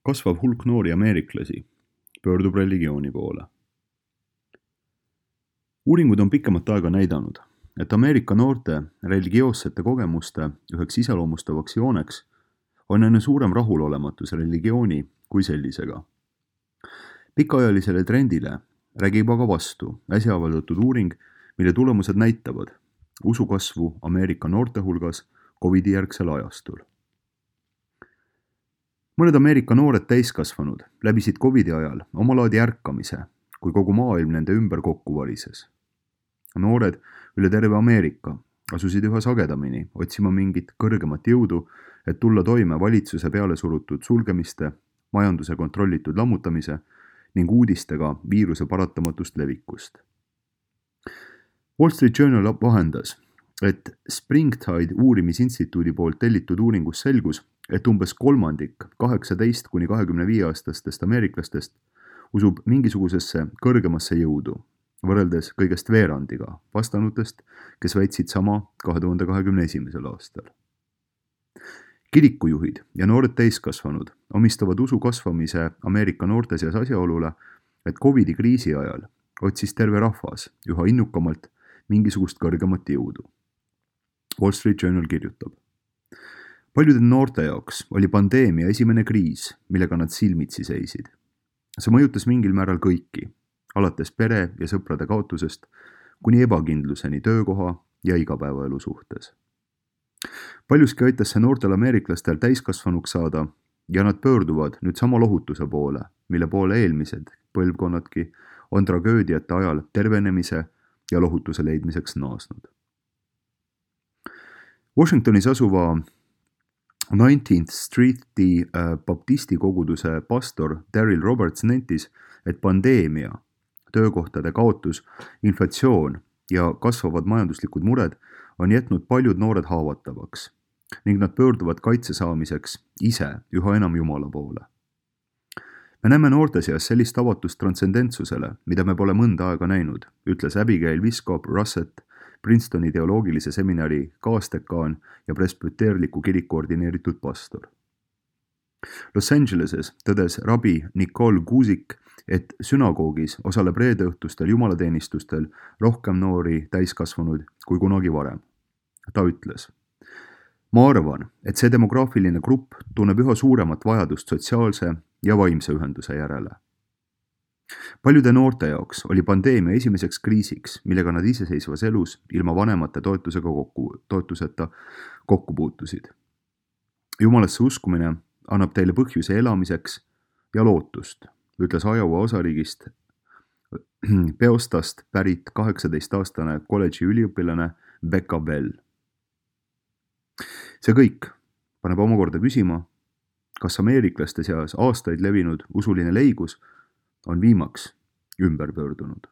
Kasvav hulk noori ameeriklasi pöördub religiooni poole. Uuringud on pikemat aega näidanud, et Ameerika noorte religioossete kogemuste üheks iseloomustavaks jooneks on aina suurem rahulolematus religiooni kui sellisega. Pikaajalisele trendile räägib aga vastu äsja avaldatud uuring, mille tulemused näitavad usu kasvu Ameerika noorte hulgas COVID-i järgsel ajastul. Mõned Ameerika noored täiskasvanud läbisid COVID-i ajal omalaadi ärkamise, kui kogu maailm nende ümber kokku varises. Noored üle terve Ameerika asusid üha sagedamini otsima mingit kõrgemat jõudu, et tulla toime valitsuse peale surutud sulgemiste, majanduse kontrollitud lammutamise ning uudistega viiruse paratamatust levikust. Wall Street Journal vahendas, et Springtide uurimisinstituudi poolt tellitud uuringus selgus, et umbes kolmandik 18–25-aastastest ameeriklastest usub mingisugusesse kõrgemasse jõudu, võrreldes kõigest veerandiga vastanutest, kes väitsid sama 2021. aastal. Kirikujuhid ja noored täiskasvanud omistavad usu kasvamise Ameerika noorte seas asjaolule, et COVID-i kriisi ajal otsis terve rahvas üha innukamalt mingisugust kõrgemat jõudu. Wall Street Journal kirjutab. Paljude noorte jaoks oli pandeemia esimene kriis, millega nad silmitsi seisid. See mõjutas mingil määral kõiki, alates pere ja sõprade kaotusest kuni ebakindluseni töökoha ja igapäevaelu suhtes. Paljuski aitas see noortel ameeriklastel täiskasvanuks saada ja nad pöörduvad nüüd sama lohutuse poole, mille poole eelmised põlvkonnadki on tragöödiate ajal tervenemise ja lohutuse leidmiseks naasnud. Washingtonis asuva 19th Streeti baptisti koguduse pastor Daryl Roberts nentis, et pandeemia, töökohtade kaotus, inflatsioon ja kasvavad majanduslikud mured on jätnud paljud noored haavatavaks ning nad pöörduvad kaitse saamiseks ise üha enam Jumala poole. Me näeme noorte seas sellist avatust transcendentsusele, mida me pole mõnda aega näinud, ütles Abigail Wiskop-Russett, Princetoni teoloogilise seminari kaasdekaan ja presbyteerliku kiriku ordineeritud pastor. Los Angeleses tõdes rabi Nicole Guzik, et sünagoogis osaleb reedeõhtustel jumalateenistustel rohkem noori täiskasvanuid kui kunagi varem. Ta ütles, ma arvan, et see demograafiline grupp tunneb üha suuremat vajadust sotsiaalse ja vaimse ühenduse järele. Paljude noorte jaoks oli pandeemia esimeseks kriisiks, millega nad iseseisvas elus ilma vanemate toetuseta kokku puutusid. Jumalasse uskumine annab teile põhjuse elamiseks ja lootust, ütles Iowa osariigist Peostast pärit 18-aastane kolledži üliõpilane Becca Bell. See kõik paneb omakorda küsima, kas ameeriklaste seas aastaid levinud usuline leigus on viimaks ümber pöördunud.